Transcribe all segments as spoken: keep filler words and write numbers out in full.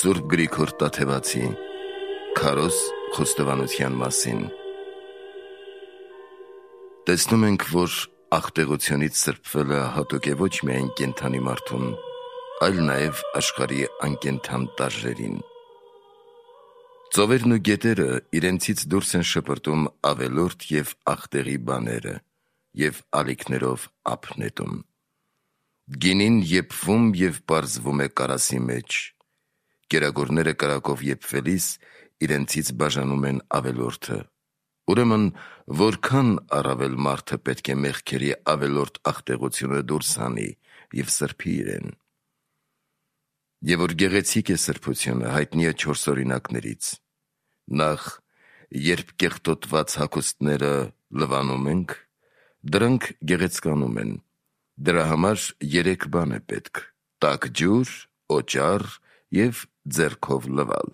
Սուրբ Գրիգոր Տաթևացի Քարոզ խոստովանության մասին։ Տեսնում ենք, որ աղտեղությունից սրբվելը հատուկ է ոչ միայն կենդանի մարդուն, այլ նաև աշխարհի անկենդան տարրերին։ Ծովերն ու գետերը իրենցից դուրս են շպրտում ավելորդ և աղտեղի բաները և ալիքներով ափ նետում։ Գինին եփվում և պարզվում է կարասի մեջ, կերակուրները կրակով եփվելիս իրենցից բաժանում են ավելորդը։ Ուրեմն, որքան առավել մարդը պետք է մեղքերի ավելորդ աղտեղությունը դուրս հանի և սրբի իրեն։ Եվ որ գեղեցիկ է սրբությունը, հայտնի է չորս օրինակներից։ Նախ, երբ կեղտոտված հագուստները լվանում ենք, դրանք գեղեցկանում են։ Դրա համար երեք բան է պետք՝ տաք ջուր, օճառ և ձեռքով լվալ։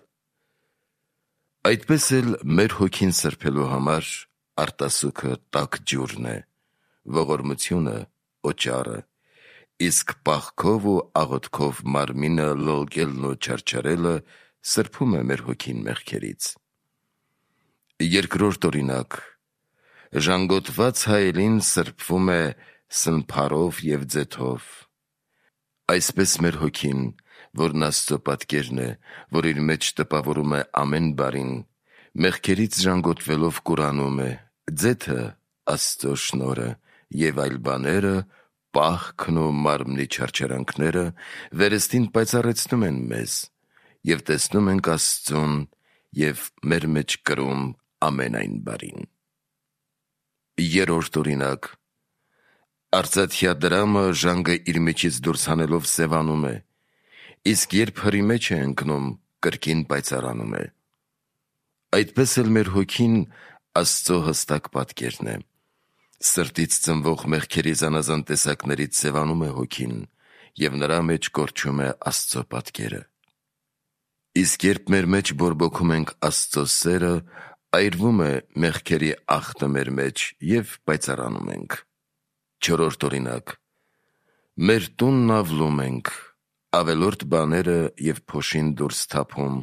Այդպես էլ մեր հոգին սրբելու համար արտասուքը տաք ջուրն է, ողորմությունը օճառը, իսկ պաղքով ու աղոթքով մարմինը լլկելն ու չարչարելը սրբում է մեր հոգին մեղքերից։ Երկրորդ օրինակ. ժանգոտված հայելին սրբվում է սնփարով և ձեթով։ Այսպես մեր հոգին, որն Աստծո պատկերն է, որ իր մեջ տպավորում է ամեն բարին, մեղքերից ժանգոտվելով կուրանում է, ձեթը Աստծո շնորհը և այլ բաները, պաղքն ու մարմնի չարչարանքները վերստին պայծառեցնում են մեզ, և տեսնում ենք Աստծուն և մեր մեջ կրում ամեն այն բարին։ Երրորդ օրինակ. արծաթյա դրամը ժանգը իր միջից դուրս հանելով սևանում է, իսկ երբ հրի մեջ է ընկնում, կրկին պայծառանում է։ Այդպես էլ մեր հոգին Աստծո հստակ պատկերն է։ Սրտից ծնվող մեղքերի զանազան տեսակներից սևանում է հոգին, և նրա մեջ կորչում է Աստծո պատկերը։ Իսկ երբ մեր մեջ բորբոքում ենք Աստծո սերը, այրվում է մեղքերի աղտը մեր մեջ և պայծառանում ենք։ Չորրորդ օրինակ. մեր տունն ավլում ենք, ավելորդ բաները և փոշին դուրս թափում,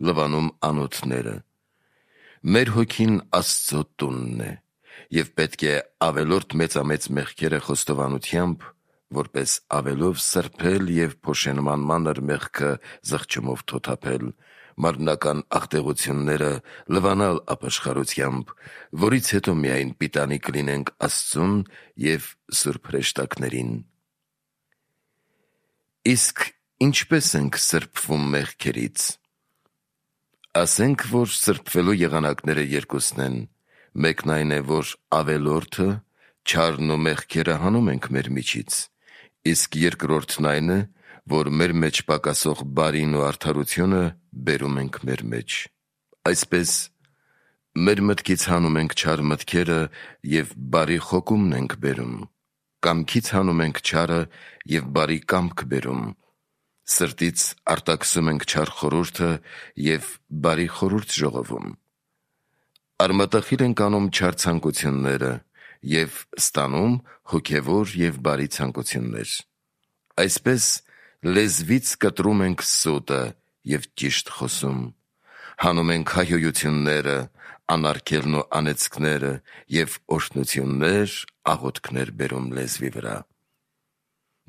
լվանում անոթները։ Մեր հոգին Աստծո տունն է, և պետք է ավելորդ մեծամեծ մեղքերը խոստովանությամբ, որպես ավելով սրբել և փոշենման մանր մեղքը զղջումով թոթափել, մարմնական աղտեղությունները լվանալ ապաշխարությամբ, որից հետո միայն պիտանի կլինենք Աստծուն և սուրբ հրեշտակներին։ Իսկ ինչպե՞ս ենք սրբվում մեղքերից։ Ասենք, որ սրբվելու եղանակները երկուսն են. մեկն այն է, որ ավելորդը, չարն ու մեղքերը հանում ենք մեր միջից, իսկ երկրորդն այն է, որ մեր մեջ պակասող բարին ու արդարությունը բերում ենք մեր մեջ։ Այսպես, մեր մտքից հանում ենք չար մտքերը և բարի խոկումն ենք բերում, կամքից հանում ենք չարը և բարի կամք բերում, սրտից արտաքսում ենք չար խորհուրդը և բարի խորհուրդ ժողովում։ Արմատախիլ ենք անում չար ցանկությունները և ստանում հոգևոր և բարի ցանկություններ։ Այսպես, լեզվից կտրում ենք սուտը և ճիշտ խոսում, հանում ենք հայհոյությունները, անարգելն ու անեծքները և օրհնություններ, աղոթքներ բերում լեզվի վրա։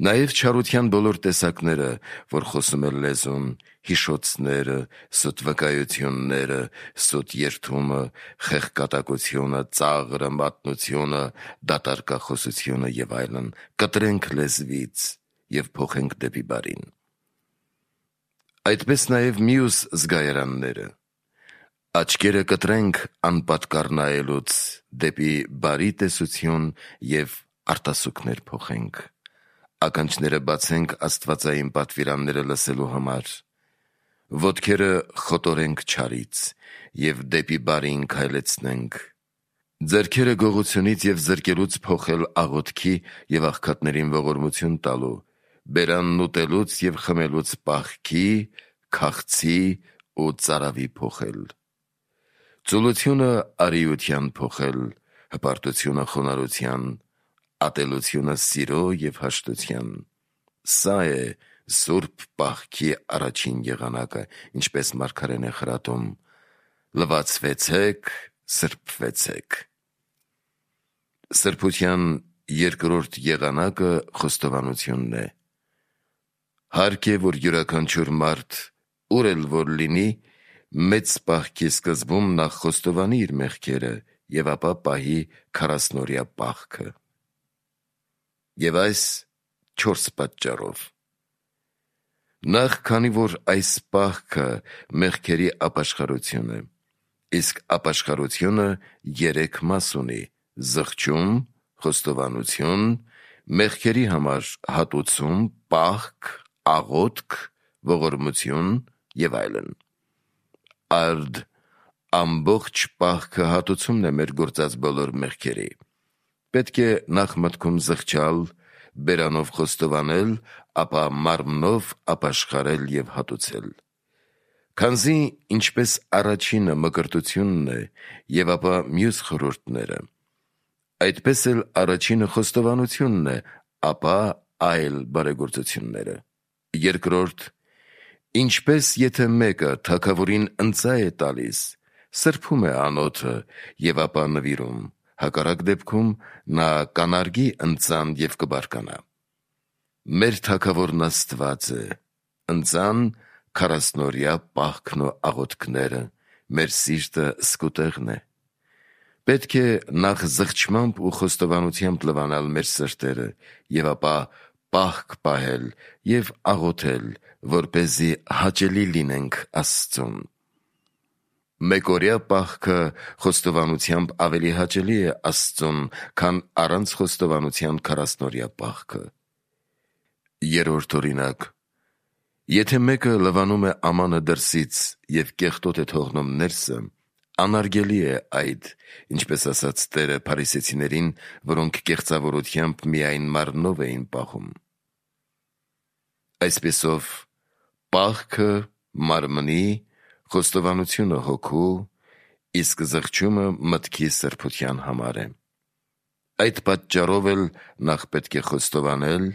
Նաև չարության բոլոր տեսակները, որ խոսում է լեզուն, հիշոցները, սուտ վկայությունները, սուտ երդումը, խեղկատակությունը, ծաղրը, մատնությունը, դատարկախոսությունը և այլն, կտրենք լեզվից և փոխենք դեպի բարին։ Այդպես նաև մյուս զգայարանները. աչքերը կտրենք անպատկառ նայելուց, դեպի բարի տեսություն և արտասուքներ փոխենք, ականջները բացենք աստվածային պատվիրանները լսելու համար, ոտքերը խոտորենք չարից և դեպի բարին քայլեցնենք, ձեռքերը գողությունից և զրկելուց փոխել աղոթքի և աղքատներին ողորմություն տալու, բերանն ուտելուց և խմելուց պաղքի, քաղցի ու ծարավի փոխել, ծուլությունը արիության փոխել, հպարտությունը խոնարհության, ատելությունը սիրո և հաշտության։ Սա է սուրբ պահքի առաջին եղանակը, ինչպես մարգարեն է խրատում. լվացվեցեք, սրբվեցեք։ Սրբության երկրորդ եղանակը խոստովանությունն է։ Հարկ է, որ յուրաքանչյուր մարդ, ուր էլ որ լինի, մեծ պահքի սկզբում նախ խոստովանի իր մեղքերը և ապա պահի քառասնօրյա պահքը։ Եվ այս չորս պատճառով. Նախ, քանի որ այս պահքը մեղքերի ապաշխարություն է, իսկ ապաշխարությունը երեք մաս ունի՝ զղջում, խոստովանություն, մեղքերի համար հատուցում, պահք, աղոթք, ողորմություն և այլն։ Արդ ամբողջ պահքը հատուցումն է մեր գործած բոլոր մեղքերի։ Պետք է նախ մտքում զղջալ, բերանով խոստովանել, ապա մարմնով ապաշխարել և հատուցել։ Քանզի ինչպես առաջինը մկրտությունն է և ապա մյուս խորհուրդները, այդպես էլ առաջինը խոստովանությունն է, ապա այլ բարեգործությունները։ Երկրորդ, ինչպես եթե մեկը թագավորին ընծա է տալիս, սրբում է անոթը և ապա նվիրում, հակառակ դեպքում նա կանարգի ընծան և կբարկանա։ Մեր թագավորն Աստված է, ընծան քառասնօրյա պահքն ու աղոթքները, մեր սիրտը սկուտեղն է։ Պետք է նախ զղջմամբ ու խոստովանությամբ լվանալ մեր սրտերը և ապա պահք պահել և աղոթել, որպեսզի հաճելի լինենք Աստծուն։ Մեկօրյա պահքը խոստովանությամբ ավելի հաճելի է Աստծուն, քան առանց խոստովանության քառասնօրյա պահքը։ Երրորդ օրինակ. Եթե մեկը լվանում է ամանը դրսից և կեղտոտ է թողնում ներսը, անարգելի է այդ, ինչպես ասաց Տերը փարիսեցիներին, որոնք կեղծավորությամբ միայն մարմնով էին պահում։ Այսպիսով, պահքը մարմնի, խոստովանությունը հոգու, իսկ զղջումը մտքի սրբության համար է։ Այդ պատճառով էլ նախ պետք է խոստովանել,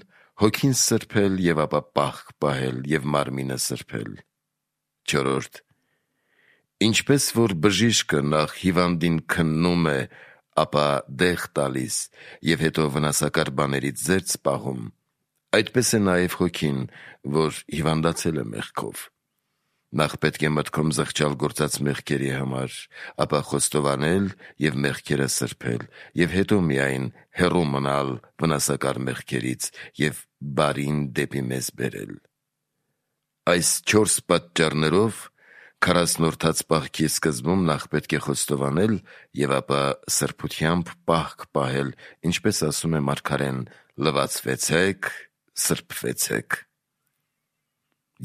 հոգին սրբել և ապա պահք պահել և մարմինը սրբել։ Չորրորդ. Ինչպես որ բժիշկը նախ հիվանդին քննում է, ապա դեղ տալիս և հետո վնասակար բաներից զերծ պահում, այդպես է նաև հոգին, որ հիվանդացել է մեղքով։ Նախ պետք է մտքում զղջալ գործած մեղքերի համար, ապա խոստովանել և մեղքերը սրբել, և հետո միայն հեռու մնալ վնասակար մեղքերից և բարին դեպի մեզ բերել։ Այս չորս պատճառներով քառասնորդած պահքի սկզբում նախ պետք է խոստովանել և ապա սրբությամբ պահք պահել, ինչպես ասում է մարգարեն. լվացվեցեք, սրբվեցեք։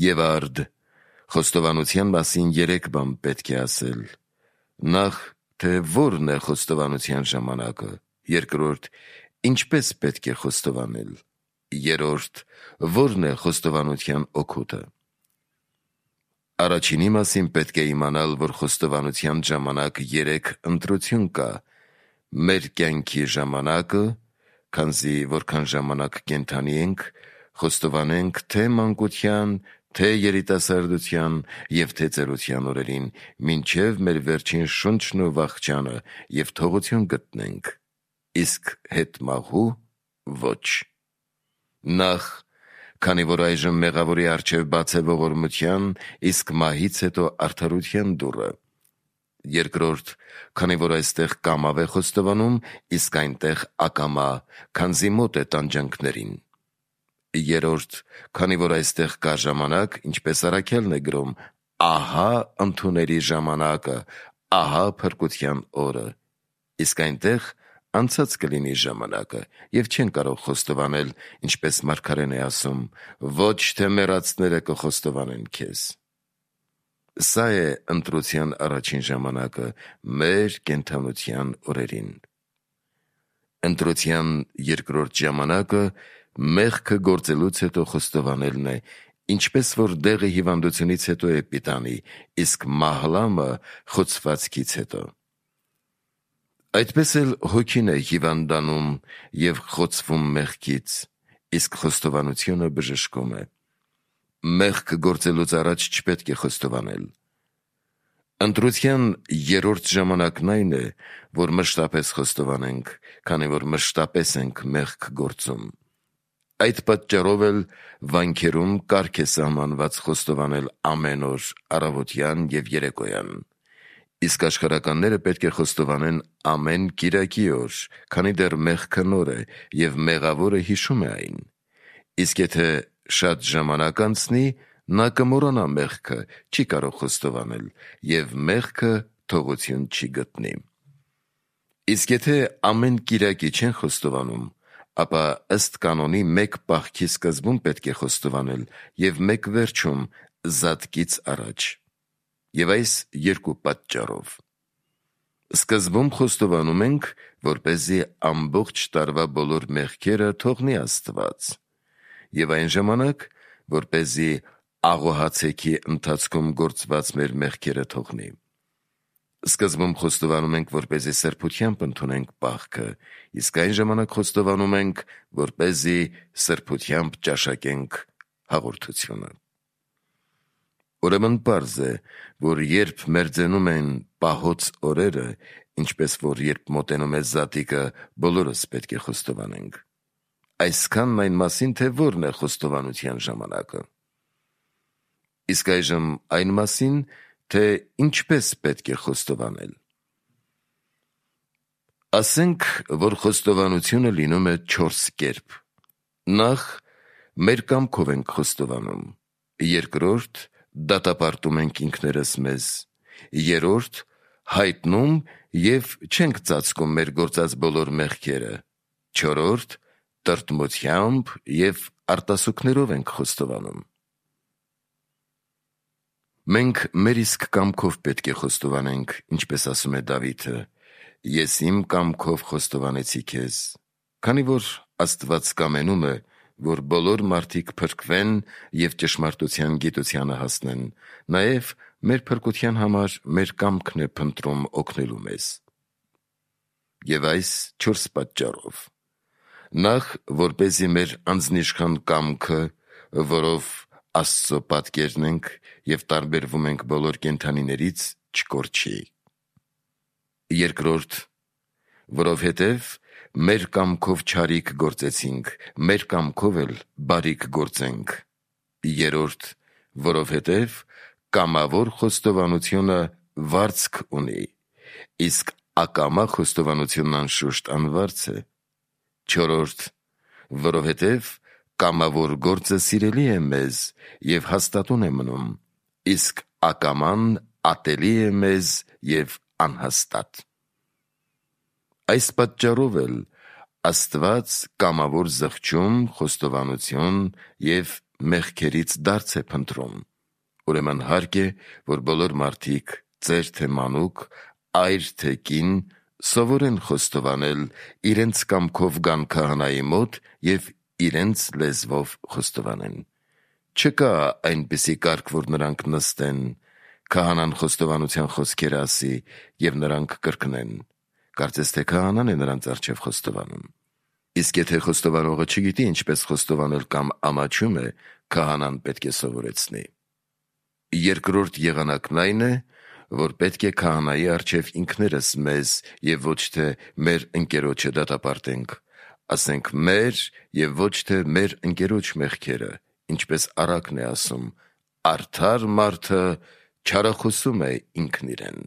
Եվ արդ խոստովանության մասին երեք բան պետք է ասել. նախ, թե որն է խոստովանության ժամանակը, երկրորդ, ինչպես պետք է խոստովանել, երրորդ, որն է խոստովանության օգուտը։ Առաջինի մասին պետք է իմանալ, որ խոստովանության ժամանակ երեք ընտրություն կա. մեր կյանքի ժամանակը, քանզի որքան ժամանակ կենդանի ենք, խոստովանենք թե մանկության, թե երիտասարդության և թե ծերության օրերին, մինչև մեր վերջին շունչն ու վախճանը և թողություն գտնենք, իսկ հետմահու ոչ։ Նախ, քանի որ այժմ մեղավորի առջև բաց է ողորմության, իսկ մահից հետո արդարության դուռը։ Երկրորդ, քանի որ այստեղ կամավ է խոստովանում, իսկ այնտեղ ակամա, քանզի մոտ է տանջանքներին։ Երրորդ, քանի որ այստեղ կա ժամանակ, ինչպես առաքյալն է գրում. ահա ընդունելի ժամանակը, ահա փրկության օրը, իսկ այնտեղ անցած կլինի ժամանակը և չեն կարող խոստովանել, ինչպես մարգարեն է ասում. ոչ թե մեռածները կխոստովանեն քեզ։ Սա է ընտրության առաջին ժամանակը մեր կենդանության օրերին։ Ընտրության երկրորդ ժամանակը մեղքը գործելուց հետո խոստովանելն է, ինչպես որ դեղը հիվանդությունից հետո է պիտանի, իսկ մահլամը խոցվածքից հետո։ Այդպես էլ հոգին է հիվանդանում և խոցվում մեղքից, իսկ խոստովանությունը բժշկում է։ մեղք գործելուց առաջ չպետք է խոստովանել։ Ընտրության երրորդ ժամանակն այն է, որ մշտապես խոստովանենք, քանի որ մշտապես ենք մեղք գործում։ Այդ պատճառով էլ վանքերում կարգ է սահմանված խոստովանել ամեն օր, առավոտյան և երեկոյան։ Իսկ աշխարհականները պետք է խոստովանեն ամեն կիրակի օր, քանի դեռ մեղքը նոր է և մեղավորը հիշում է այն։ Իսկ եթե շատ ժամանակ անցնի, նա կմոռանա մեղքը, չի կարող խոստովանել և մեղքը թողություն չի գտնի։ Իսկ եթե ամեն կիրակի չեն խոստովանում, ապա ըստ կանոնի մեկ պահքի սկզբում պետք է խոստովանել և մեկ վերջում զատկից առաջ։ Եվ այս երկու պատճառով. Սկզբում խոստովանում ենք, որպեսզի ամբողջ տարվա բոլոր մեղքերը թողնի Աստված, և այն ժամանակ, որպեսզի աղոհացեքի ընթացքում գործված մեր մեղքերը թողնի։ Սկզբում խոստովանում ենք, որպեսզի սրբությամբ ընդունենք պահքը, իսկ այն ժամանակ խոստովանում ենք, որպեսզի սրբությամբ ճաշակենք հաղորդությունը։ Ուրեմն պարզ է, որ երբ մերձենում են պահոց օրերը, ինչպես որ երբ մոտենում է զատիկը, բոլորս պետք է խոստովանենք։ Այսքանն այն մասին, թե որն է խոստովանության ժամանակը։ Իսկ այժմ այն մասին, թե ինչպես պետք է խոստովանել։ Ասենք, որ խոստովանությունը լինում է չորս կերպ։ Նախ, մեր կամքով ենք խոստովանում։ Երկրորդ, դատապարտում ենք ինքներս մեզ։ Երրորդ, հայտնում և չենք ծածկում մեր գործած բոլոր մեղքերը։ Չորրորդ, տրտմությամբ և արտասուքներով ենք խոստովանում։ Մենք մեր իսկ կամքով պետք է խոստովանենք, ինչպես ասում է Դավիթը. «Ես իմ կամքով խոստովանեցի քեզ», քանի որ Աստված կամենում է, որ բոլոր մարդիկ փրկվեն և ճշմարտության գիտությանը հասնեն, նաև մեր փրկության համար մեր կամքն է փնտրում օգնելու մեզ։ Եվ այս չորս պատճառով. Նախ, որպեսզի մեր անձնիշխան կամքը, որով Աստծո պատկերն ենք և տարբերվում ենք բոլոր կենդանիներից, չկորչի։ Երկրորդ, որովհետև մեր կամքով չարիք գործեցինք, մեր կամքով էլ բարիք գործենք։ Երրորդ, որովհետև կամավոր խոստովանությունը վարձք ունի, իսկ ակամա խոստովանությունն անշուշտ անվարձ է։ Չորրորդ, որովհետև կամավոր գործը սիրելի է մեզ և հաստատուն է մնում, իսկ ակաման ատելի է մեզ և անհաստատ։ Այս պատճառով էլ Աստված կամավոր զղջում, խոստովանություն և մեղքերից դարձ է փնտրում։ Ուրեմն հարկ է, որ բոլոր մարդիկ, ծեր թե մանուկ, այր թե կին, սովորեն խոստովանել, իրենց կամքով գան քահանայի մոտ և իրենց լեզվով խոստովանեն։ Չկա այնպիսի կարգ, որ նրանք նստեն, քահանան խոստովանության խոսքեր ասի և նրանք կրկնեն։ Կարծես թե քահանան է նրանց առջև խոստովանում։ Իսկ եթե խոստովանողը չգիտի ինչպես խոստովանել կամ ամաչում է, քահանան պետք է սովորեցնի։ Երկրորդ եղանակն այն է, որ պետք է քահանայի առջև ինքներս մեզ և ոչ թե մեր ընկերոջը դատապարտենք, ասենք մեր և ոչ թե մեր ընկերոջ մեղքերը, ինչպես առակն է ասում. «Արդար մարդը չարախոսում է ինքն իրեն»։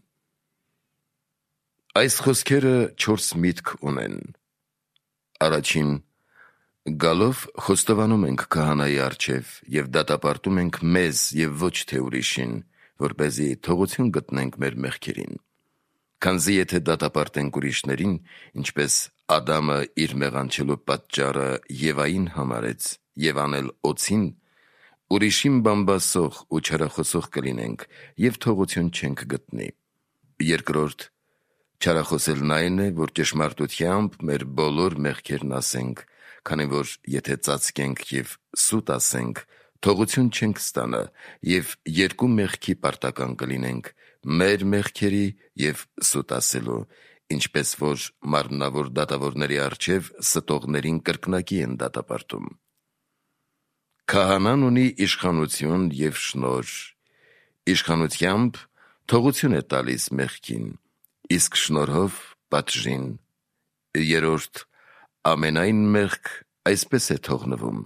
Այս խոսքերը չորս միտք ունեն։ Առաջին, գալով խոստովանում ենք քահանայի առջև և դատապարտում ենք մեզ և ոչ թե ուրիշին, որպեսզի թողություն գտնենք մեր մեղքերին։ Քանզի եթե դատապարտենք ուրիշներին, ինչպես Ադամը իր մեղանչելու պատճառը Եվային համարեց և անել օձին, ուրիշին բամբասող ու չարախոսող կլինենք և թողություն չենք գտնի։ Երկրորդ, չարախոսելն այն է, որ ճշմարտությամբ մեր բոլոր մեղքերն ասենք, քանի որ եթե ծածկենք և սուտ ասենք, թողություն չենք ստանա և երկու մեղքի պարտական կլինենք՝ մեր մեղքերի և սուտ ասելու, ինչպես որ մարմնավոր դատավորների առջև ստողներին կրկնակի են դատապարտում։ Քահանան ունի իշխանություն և շնորհ, իշխանությամբ թողություն է տալիս մեղքին, իսկ շնորհով պատժին։ Երորդ, ամենայն մեղք այսպես է թողնվում.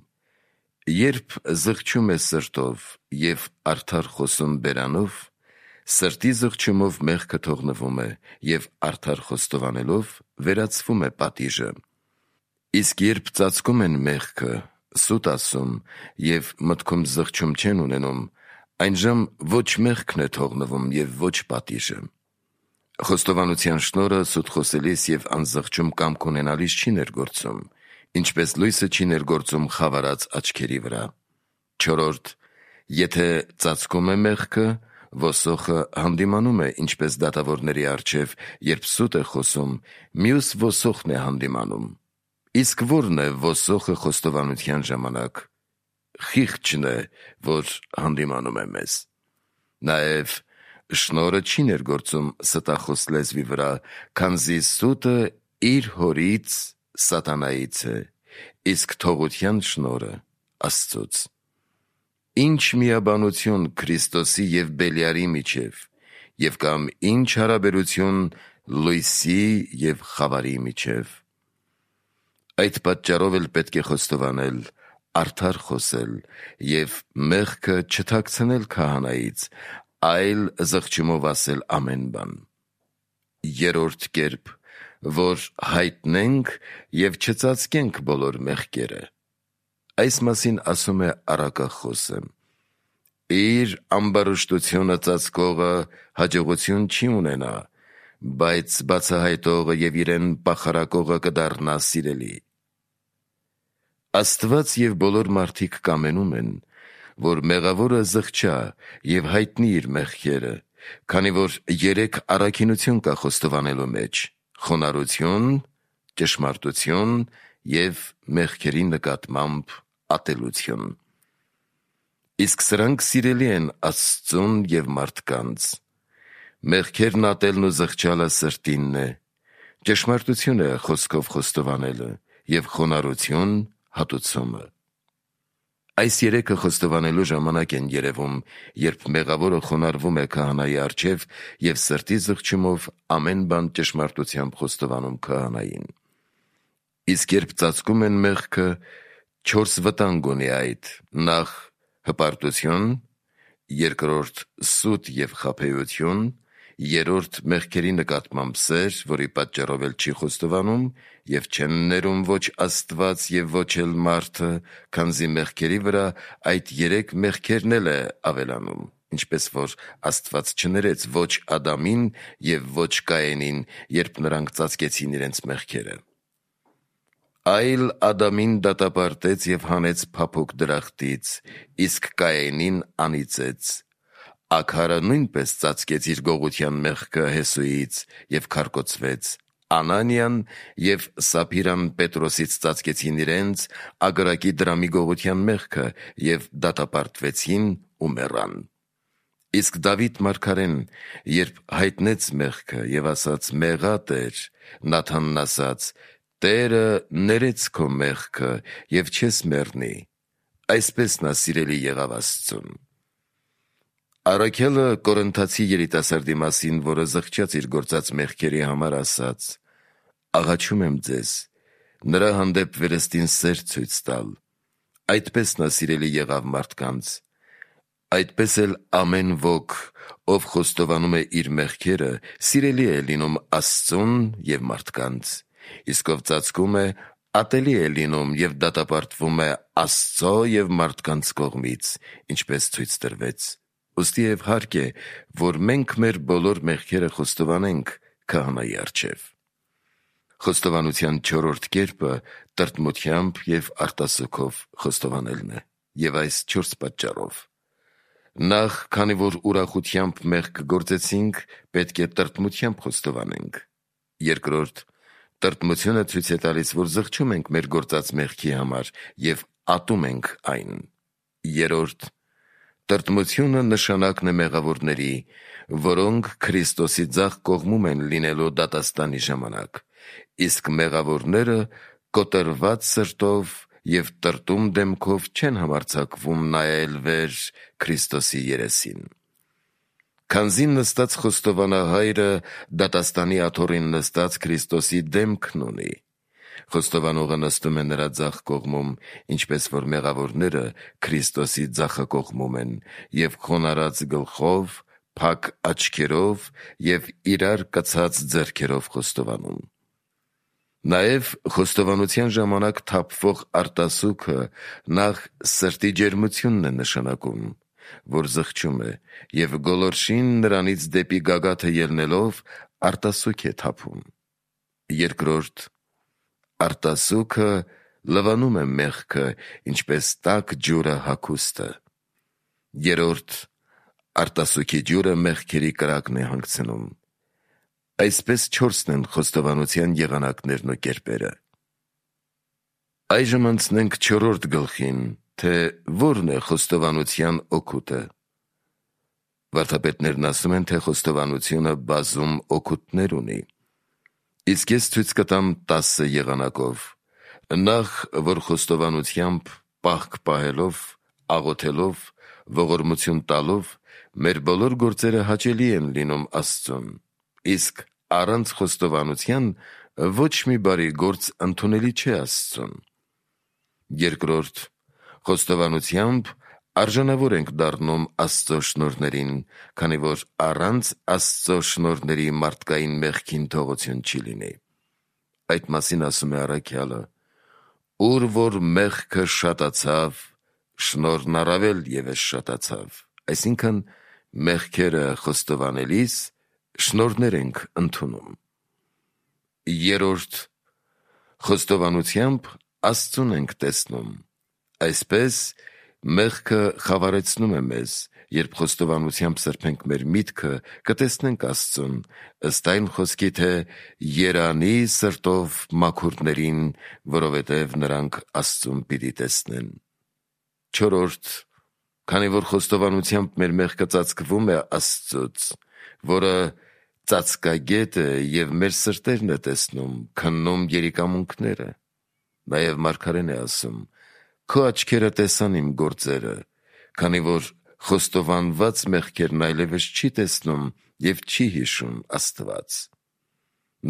երբ զղջում է սրտով և արդար խոսում բերանով, սրտի զղջումով մեղքը թողնվում է և արդար խոստովանելով վերացվում է պատիժը։ Իսկ երբ ծածկում են մեղքը, սուտ ասում և մտքում զղջում չեն ունենում, այնժամ ոչ մեղքն է թողնվում և ոչ պատիժը։ Խոստովանության շնորհը սուտ խոսելիս և անզղջում կամք ունենալիս չի ներգործում, ինչպես լույսը չի ներգործում խավարած աչքերի վրա։ Չորրորդ, եթե ծածկում է մեղքը, ոսոխը հանդիմանում է ինչպես դատավորների առջև, երբ սուտ է խոսում, մյուս ոսոխն է հանդիմանում։ Իսկ ո՞րն է ոսոխը խոստովանության ժամանակ։ Խիղճն է, որ հանդիմանում է մեզ։ Նաև շնորհը չի ներգործում ստախոս լեզվի վրա, քանզի սուտը իր հորից՝ սատանայից է, իսկ թողության շնորհը՝ Աստծուց։ Ի՞նչ միաբանություն Քրիստոսի և Բելիարի միջև, և կամ ի՞նչ հարաբերություն լույսի և խավարի միջև։ Այդ պատճառով էլ պետք է խոստովանել, արդար խոսել և մեղքը չթաքցնել քահանայից, այլ զղջումով ասել ամեն բան։ Երրորդ կերպ, որ հայտնենք և չծածկենք բոլոր մեղքերը։ Այս մասին ասում է առակախոսը. «Իր ամբարշտությունը ծածկողը հաջողություն չի ունենա, բայց բացահայտողը և իրեն պախարակողը կդառնա սիրելի»։ Աստված և բոլոր մարդիկ կամենում են, որ մեղավորը զղջա և հայտնի իր մեղքերը, քանի որ երեք առաքինություն կա խոստովանելու մեջ՝ խոնարհություն, ճշմարտություն և մեղքերի նկատմամբ ատելություն։ Իսկ սրանք սիրելի են Աստծուն և մարդկանց։ Մեղքերն ատելն ու զղջալը սրտինն է, ճշմարտություն է խոսքով խոստովանելը և խոնարհություն հատուցումը։ Այս երեքը խոստովանելու ժամանակ են երևում, երբ մեղավորը խոնարհվում է քահանայի առջև և սրտի զղջումով ամեն բան ճշմարտությամբ խոստովանում քահանային։ Իսկ երբ ծածկում են մեղքը, չորս վտանգ ունի այդ. նախ՝ հպարտություն, երկրորդ՝ սուտ և խաբեություն, երրորդ՝ մեղքերի նկատմամբ սեր, որի պատճառով էլ չի խոստովանում, և չեն ներում ոչ Աստված և ոչ էլ մարդը, քանզի մեղքերի վրա այդ երեք մեղքերն էլ է ավելանում, ինչպես որ Աստված չներեց ոչ Ադամին և ոչ Կայենին, երբ նրանք ծածկեցին իրենց մեղքերը։ Այլ Ադամին դատապարտեց և հանեց փափուկ դրախտից, իսկ Կայենին անիծեց։ Ագարը նույնպես ծածկեց իր գողության մեղքը Հեսուից և քարկոծվեց։ Անանիան և Սափիրան Պետրոսից ծածկեցին իրենց ագարակի դրամի գողության մեղքը և դատապարտվեցին ու մեռան։ Իսկ Դավիթ մարգարեն, երբ հայտնեց մեղքը և ասաց. «Մեղա Տեր», Նաթանն ասաց. «Տերը ներեց քո մեղքը և չես մեռնի»։ Այսպես նա սիրելի եղավ Աստծուն։ Առաքյալը Կորինթացի երիտասարդի մասին, որը զղջաց իր գործած մեղքերի համար, ասաց. «Աղաչում եմ ձեզ, նրա հանդեպ վերստին սեր ցույց տալ»։ Այդպես նա սիրելի եղավ մարդկանց։ Այդպես էլ ամեն ոք, ով խոստովանում է իր մեղքերը, սիրելի է լինում Աստծուն և մարդկանց, իսկ ով ծածկում է, ատելի է լինում և դատապարտվում է Աստծո և մարդկանց կողմից, ինչպես ցույց տրվեց։ Ուստիև հարկ է, որ մենք մեր բոլոր մեղքերը խոստովանենք քահանայի առջև։ Խոստովանության չորրորդ կերպը տրտմությամբ և արտասուքով խոստովանելն է, և այս չորս պատճառով. Նախ, քանի որ ուրախությամբ մեղք գործեցինք, պետք է տրտմությամբ խոստովանենք։ Երկրորդ, տրտմությունը ցույց է տալիս, որ զղջում ենք մեր գործած մեղքի համար և ատում ենք այն։ Երրորդ, տրտմությունը նշանակն է մեղավորների, որոնք Քրիստոսի ձախ կողմում են լինելու դատաստանի ժամանակ, իսկ մեղավորները կոտրված սրտով և տրտում դեմքով չեն համարձակվում նայել վեր Քրիստոսի երեսին։ Քանզի նստած խոստովանահայրը դատաստանի աթոռին նստած Քրիստոսի դեմքն ունի, խոստովանողը նստում է նրա ձախ կողմում, ինչպես որ մեղավորները Քրիստոսի ձախակողմում են և խոնարհած գլխով, փակ աչքերով և իրար կցած ձեռքերով խոստովանում։ Նաև խոստովանության ժամանակ թափվող արտասուքը նախ սրտի ջերմությունն է նշանակում, որ զղջում է, և գոլորշին նրանից դեպի գագաթը ելնելով արտասուք է թափում։ Երկրորդ, արտասուքը լվանում է մեղքը, ինչպես տաք ջուրը հագուստը։ Երրորդ, արտասուքի ջուրը մեղքերի կրակն է հանգցնում։ Այսպես չորսն են խոստովանության եղանակներն ու կերպերը։ Այժմ անցնենք չորրորդ գլխին, թե որն է խոստովանության օգուտը։ Վարդապետներն ասում են, թե խոստովանությունը բազում օգուտներ ունի։ Իսկ ես ցույց կտամ տասը եղանակով։ Նախ, որ խոստովանությամբ, պահք պահելով, աղոթելով, ողորմություն տալով մեր բոլոր գործերը հաճելի են լինում Աստծուն, իսկ առանց խոստովանության ոչ մի բարի գործ ընդունելի չէ Աստծուն։ Երկրորդ, խոստովանությամբ արժանավոր ենք դառնում Աստծո շնորհներին, քանի որ առանց Աստծո շնորհների մարդկային մեղքին թողություն չի լինի։ Այդ մասին ասում է առաքյալը. «Ուր որ մեղքը շատացավ, շնորհն առավել ևս շատացավ», այսինքն մեղքերը խոստովանելիս շնորհներ ենք ընդունում։ Երրորդ, խոստովանությամբ Աստծուն ենք տեսնում։ Այսպես մեղքը խավարեցնում է մեզ, երբ խոստովանությամբ սրբենք մեր միտքը, կտեսնենք Աստծուն, ըստ այն խոսքի, թե «Երանի սրտով մաքուրներին, որովհետև նրանք Աստծուն պիտի տեսնեն»։ Չորրորդ, քանի որ խոստովանությամբ մեր մեղքը ծածկվում է Աստծուց, որը ծածկագետ է և մեր սրտերն է տեսնում, քննում երիկամունքները։ Նաև մարգարեն է ասում. «Քո աչքերը տեսան իմ գործերը», քանի որ խոստովանված մեղքերն այլևս չի տեսնում և չի հիշում Աստված։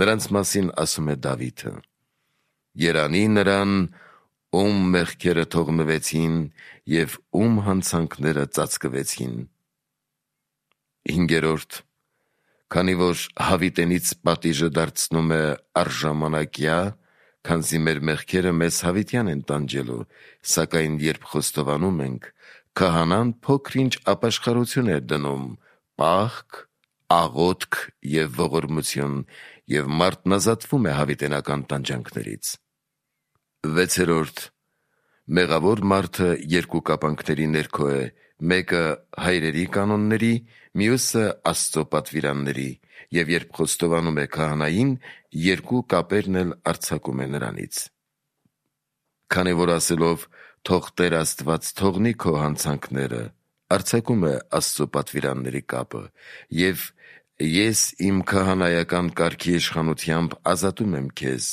Նրանց մասին ասում է Դավիթը. «Երանի նրան, ում մեղքերը թողնվեցին և ում հանցանքները ծածկվեցին»։ Հինգերորդ, քանի որ հավիտենից պատիժը դարձնում է առժամանակյա, քանզի մեր մեղքերը մեզ հավիտյան են տանջելու, սակայն երբ խոստովանում ենք, քահանան փոքր-ինչ ապաշխարություն է դնում, պահք, աղոթք և ողորմություն, և մարդն ազատվում է հավիտենական տանջանքներից։ Վեցերորդ, մեղավոր մարդը երկու կապանքների ներքո է, մեկը հայրերի կանոնների, մյուսը Աստծո պատվիրանների, և երբ խոստովանում է քահանային, երկու կապերն էլ արձակում է նրանից։ Քանի որ ասելով «Թող Տեր Աստված թողնի քո հանցանքները», արձակում է Աստծո պատվիրանների կապը, և «Ես իմ քահանայական կարգի իշխանությամբ ազատում եմ քեզ»,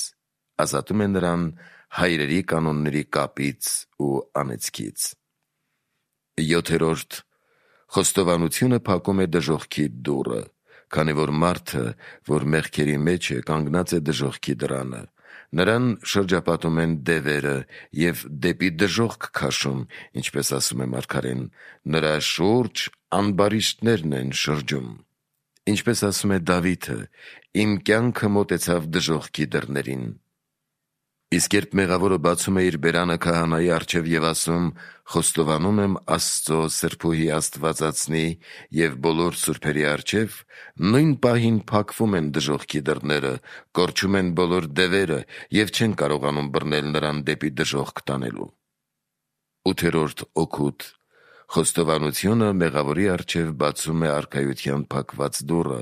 ազատում է նրան հայրերի կանոնների կապից ու անեծքից։ Յոթերորդ, խոստովանությունը փակում է դժոխքի դուռը, քանի որ մարդը, որ մեղքերի մեջ է, կանգնած է դժոխքի դռանը, նրան շրջապատում են դևերը և դեպի դժոխք քաշում, ինչպես ասում է մարգարեն. «Նրա շուրջ ամբարիշտներն են շրջում»։ Ինչպես ասում է Դավիթը. «Իմ կյանքը մոտեցավ դժոխքի դռներին»։ Իսկ երբ մեղավորը բացում է իր բերանը քահանայի առջև և ասում. «Խոստովանում եմ Աստծո սրբուհի Աստվածածնի և բոլոր սուրբերի առջև», նույն պահին փակվում են դժոխքի դռները, կորչում են բոլոր դևերը և չեն կարողանում բռնել նրան դեպի դժոխք տանելու։ Ութերորդ օգուտ. խոստովանությունը մեղավորի առջև բացում է արքայության փակված դուռը,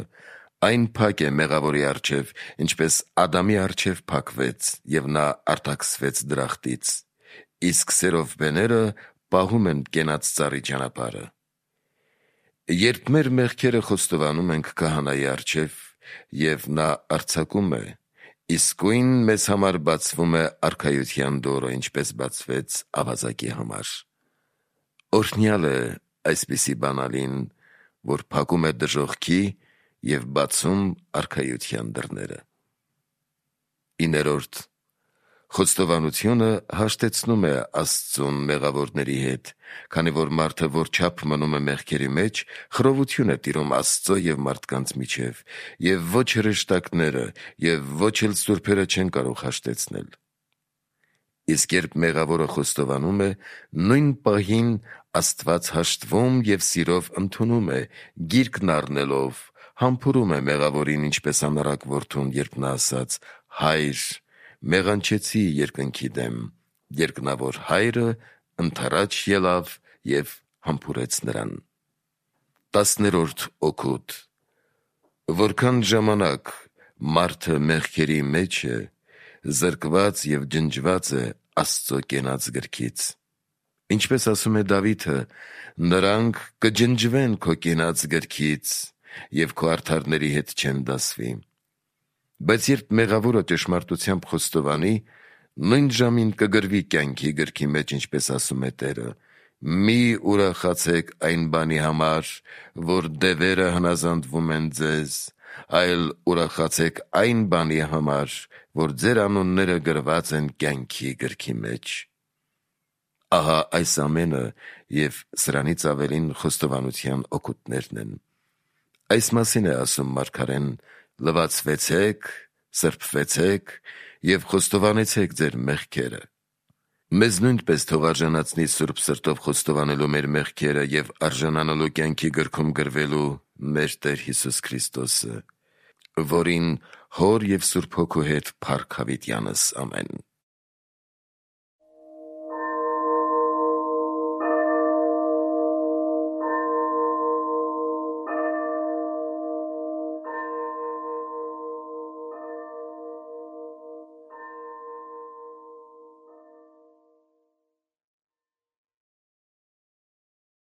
այն փակ է մեղավորի առջև, ինչպես Ադամի առջև փակվեց, և նա արտաքսվեց դրախտից, իսկ սերովբեները պահում են կենաց ծառի ճանապարհը։ Երբ մեր մեղքերը խոստովանում ենք քահանայի առջև, և նա արձակում է, Իսկույն մեզ համար բացվում է արքայության դորը, ինչպես բացվեց ավազակի համար։ Օրհնյալ է այսպիսի բանալին, որ փակում է դժոխքի և բացում արքայության դռները։ Իներորդ, խոստովանությունը հաշտեցնում է Աստծուն մեղավորների հետ, քանի որ մարդը որչափ մնում է մեղքերի մեջ, խռովություն է տիրում Աստծո և մարդկանց միջև, և ոչ հրեշտակները և ոչ էլ սուրբերը չեն կարող հաշտեցնել։ Իսկ երբ մեղավորը խոստովանում է, նույն պահին Աստված հաշտվում և սիրով ընդունում է, գիրկն առնելով, համբուրում է մեղավորին, ինչպես անառակ որդուն, երբ նա ասաց. «Հա՛յր, մեղանչեցի երկնքի դեմ», երկնավոր հայրը ընդառաջ ելավ և համբուրեց նրան։ Տասներորդ օգուտ. Որքան ժամանակ մարդը մեղքերի մեջ է, զրկված և ջնջված է Աստծո կենաց գրքից։ Ինչպես ասում է Դավիթը. «Նրանք կջնջվեն քո կենաց գրքից և քո արդարների հետ չեն դասվի»։ Բայց երբ մեղավորը ճշմարտությամբ խոստովանի, նույն ժամին կգրվի կյանքի գրքի մեջ, ինչպես ասում է Տերը. «Մի ուրախացեք այն բանի համար, որ դևերը հնազանդվում են ձեզ, այլ ուրախացեք այն բանի համար, որ ձեր անունները գրված են կյանքի գրքի մեջ»։ Ահա այս ամենը և սրանից ավելին խոստովանության օգուտներն են։ Այս մասին է ասում մարգարեն. «Լվացվեցեք, սրբվեցեք և խոստովանեցեք ձեր մեղքերը»։ Մեզ նույնպես թող արժանացնի սուրբ սրտով խոստովանելու մեր մեղքերը և արժանանալու կյանքի գրքում գրվելու մեր Տեր Հիսուս Քրիստոսը, որին Հոր և Սուրբ Հոգու հետ փառք հավիտյանս։ Ամեն։